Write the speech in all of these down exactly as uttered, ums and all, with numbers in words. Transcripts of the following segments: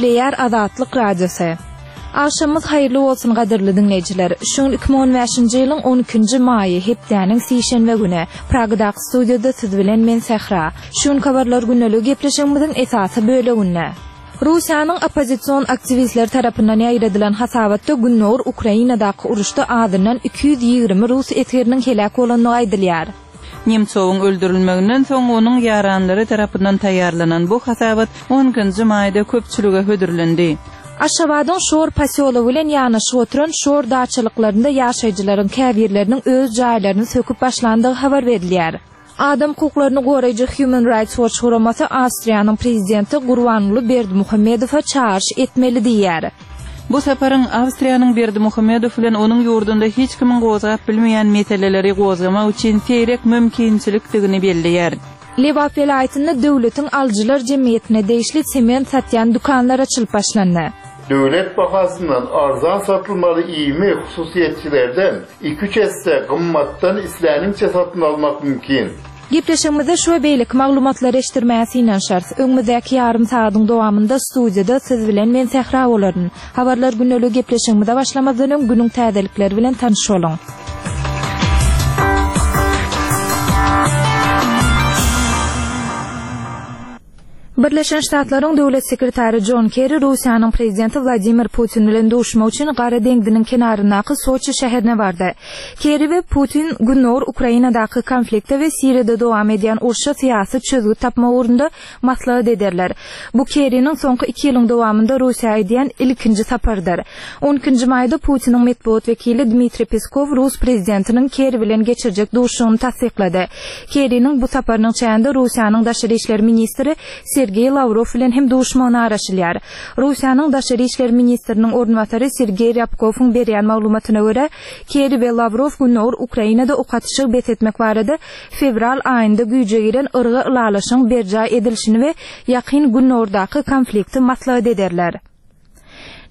Gepleýär Azatlyk Radiosy. Agşamyňyz haýyrly bolsun gadyrly diňleýjiler. Şu gün iki müň on bäşinji ýylyň on ikinji maýy, hepdäniň sişenbe güni. Pragadaky studiýada siz bilen men Sähra. Şu gün habarlar gündeligi gepleşigimiziň esasy böleginde. Russiýanyň oppozision aktiwistleri tarapyndan ýaýradylan hasabatda Gündogar Ukrainadaky uruşda azyndan iki ýüz ýigrimi rus esgeriniň heläk bolandygy aýdylýar. Nemtsowyň öldürilmeginden soň onuň ýaranlary tarapyndan taýýarlanan bu hasabat on ikinji maýda köpçülige hödürlendi. Aşgabadyň Şor posýology bilen ýanaşyk oturan Şor daçalyklarynda ýaşaýjylaryň käbirleriniň öz jaýlaryny söküp başlandygy habar berilýär. Adam hukuklaryny goraýjy Human Rights Watch guramasy Awstriýanyň prezidenti Gurbanguly Berdimuhamedowa çagyryş etmeli diýýär. Bu saparyň Awstriýanyň Berdimuhamedow bilen onuň ýurdunda hiç kimiň gozgap bilmeýän meseleleri gozgamak üçin seýrek mümkinçilikdigini belleýär. Lebap welaýatynda döwletiň alyjylar jemgyýetine degişli sement satýan dükanlar açylyp başlandy. Döwlet bahasyndan arzan satylmaly iými hususyýetçilerden iki-üç esse gymmatdan isläniňçe satyn almak mümkin. Gepleşigimizde şu we beýleki maglumatlary eşitdirmäge synanyşarys. Öňümizdäki ýarym sagadyň dowamynda studiýada siz bilen men Sähra bolaryn. Habarlar gündeligi gepleşigimize başlamazdan öň günüň täzelikleri bilen tanyş boluň. Birleşen Ştatlaryň Döwlet sekretary Jon Kerri Russiýanyň prezidenti Wladimir Putin bilen duşmak üçin Gara deňziniň kenaryndaky Soçi şäherine bardy. Kerri we Putin Gündogar Ukrainadaky konflikte we Siriýada dowam edýän urşa syýasy çözgüt tapmak ugrunda maslahat ederler. Bu Kerriniň soňky iki ýylyň dowamynda Russiýa edýän ilkinji saparydyr. On ikinji maýda Putiniň metbugat wekili Dmitriý Peskow rus prezidentiniň Kerri bilen geçirjek duşuşygyny tassyklady. Kerriniň bu saparynyň çäginde Russiýanyň daşary işler ministri Sergeý Lawrow bilen hem duşmagyna garaşylýar. Russiýanyň daşary işler ministriniň orunbasary Sergeý Rýabkowyň berýän maglumatyna görä, Kerri we Lawrow Gündogar Ukrainada ok atyşygy bes etmek barada fewral aýynda güýje giren yrga ylalaşygyň berjaý edilişini we Ýakyn Gündogardaky konflikti maslahat ederler.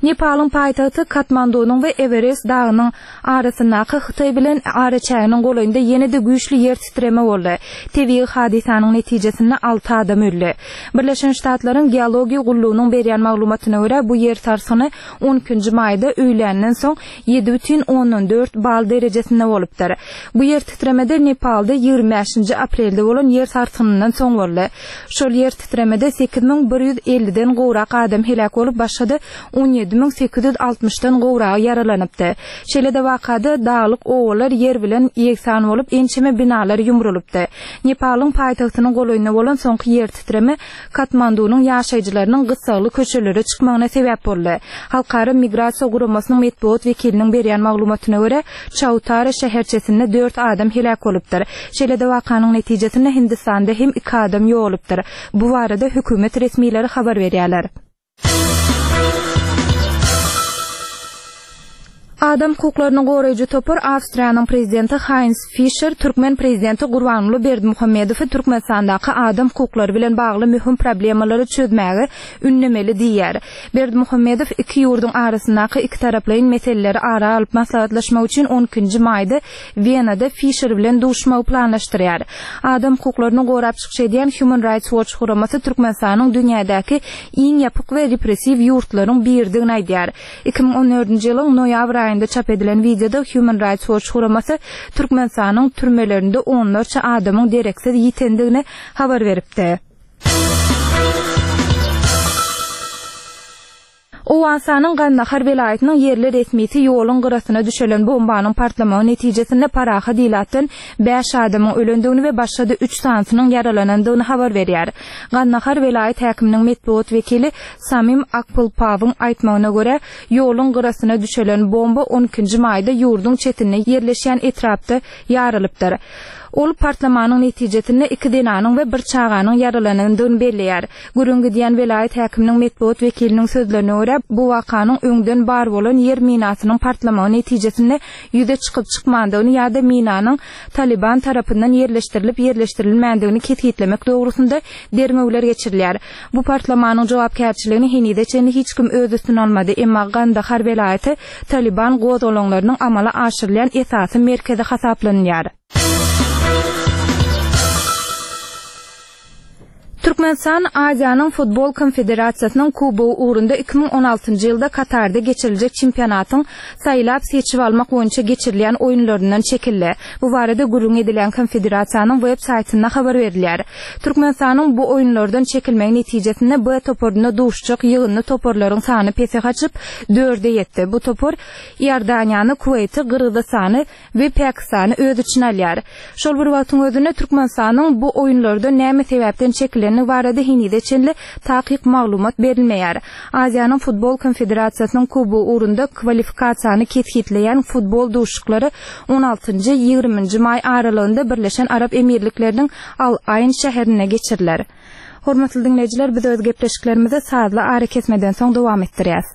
Nepalyň paýtagty Katmandunyň we Ewerest dagynyň arasyndaky Hytaý bilen araçäginiň golaýynda ýene-de güýçli ýer titreme boldy. Tebigy hadysanyň netijesinde alty adam öldi. Birleşen Ştatlaryň Geologiýa gullugynyň berýän maglumatyna görä, bu ýer sarsgyny on ikinji maýda öýländen soň ýedi bütin ondan dört bal derejesinde bolupdyr. Bu ýer titremede Nepalda ýigrimi bäşinji aprelde bolan ýer sarsgynyndan soň boldy. Şol ýer titremede sekiz müň bir ýüz elliden gowrak adam heläk bolup, başga-da on ýedi müň sekiz ýüz altmyşdan gowragy ýaralanypdy. Şeýle-de wakada daglyk obalar ýer bilen ýegsan bolup, ençeme binalar ýumrulypdy. Nepalyň paýtagtynyň golaýynda bolan soňky ýer titreme Katmandunyň ýaşaýjylarynyň gyssagly köçelere çykmagyna sebäp boldy. Halkara migrasiýa guramasynyň metbugat wekiliniň berýän maglumatyna görä, Çautara şäherçesinde dört adam heläk bolupdyr. Şeýle-de wakanyň netijesinde Hindistanda hem iki adam ýogalypdyr. Bu barada hökümet resmileri habar berýärler. Adam hukuklaryny goraýjy topar Awstriýanyň prezidenti Heinz Fischer türkmen prezidenti Gurbanguly Berdimuhamedowy Türkmenistandaky adam hukuklary bilen bagly möhüm problemalary çözmäge ündemeli diýýär. Berdimuhamedow iki ýurduň arasyndaky ikitaraplaýyn meseleleri ara alyp maslahatlaşmak üçin on ikinji maýda Wenada Fischer bilen duşmagy planlaşdyrýar. Adam hukuklaryny gorap çykyş edýän Human Rights Watch guramasy Türkmenistanyň dünýädäki iň ýapyk we repressiw ýurtlaryň biridigini aýdýar. Iki müň on dördünji ýylyň noýabr aýynda çap edilen wideoda Human Rights Watch guramasy Türkmenistanyň türmelerinde onlarça adamyň dereksiz ýitendigini habar beripdi. Owganystanyň Gandahar welaýatynyň ýerli resmisi ýoluň gyrasyna düşelen bombanyň partlamagy netijesinde parahat ilatdan bäş adamyň ölendigini we başga-da üç sanysynyň ýaralanandygyny habar berýär. Gandahar welaýat häkiminiň metbugat wekili Samim Akpulpawyň aýtmagyna görä, ýoluň gyrasyna düşelen bomba on ikinji maýda ýurduň çetinde ýerleşýän etrapda ýarylypdyr. Ol partlamanyň netijesinde iki zenanyň we bir çaganyň ýaralanandygyny belleýär. Gürrüň gidýän welaýat häkiminiň metbugat wekiliniň sözlerine görä, bu wakanyň öňden bar bolan ýer minasynyň partlamagy netijesinde ýüze çykyp çykmandygyny ýa-da minanyň Taliban tarapyndan ýerleşdirilip ýerleşdirilmändigini kesgitlemek dogrusynda derňewler geçirilýär. Bu partlamanyň jogapkärçiligini henize çenli hiç kim öz üstüne almady, emma Gandahar welaýaty Taliban gozgalaňlarynyň amala aşyrylýan esasy merkezi hasaplanylýar. Türkmenistan Aziýanyň Futbol Konfederasiýasynyň Kubogy ugrunda iki müň on altynjy ýylda Katarda geçiriljek çempionatyň saýlap-seçip almak boýunça geçirilýän oýunlaryndan çekildi. Bu barada gürrüň edilýän konfederasiýanyň web saýtynda habar berilýär. Türkmenistanyň bu oýunlardan çekilmegi netijesinde B toparynda duşuşjak ýygyndy toparlaryň sany pese gaçyp, dörde ýetdi. Bu topar Iordaniýany, Kuweýti, Gyrgyzystany we Pakistany öz içine alýar. Şol bir wagtyň özünde Türkmenistanyň bu oýunlardan näme sebäpden çekilendigi barada henize çenli takyk maglumat berilmeýär. Aziýanyň Futbol Konfederasiýasynyň Kubogy ugrunda kwalifikasiýany kesgitleýän futbol duşuşyklary on altynjy, ýigriminji maý aralygynda Birleşen Arap Emirlikleriniň Al-Aýn şäherinde geçiriler. Hormatly diňleýjiler, biz öz gepleşiklerimizi sazly arakesmeden soň dowam etdirýäs.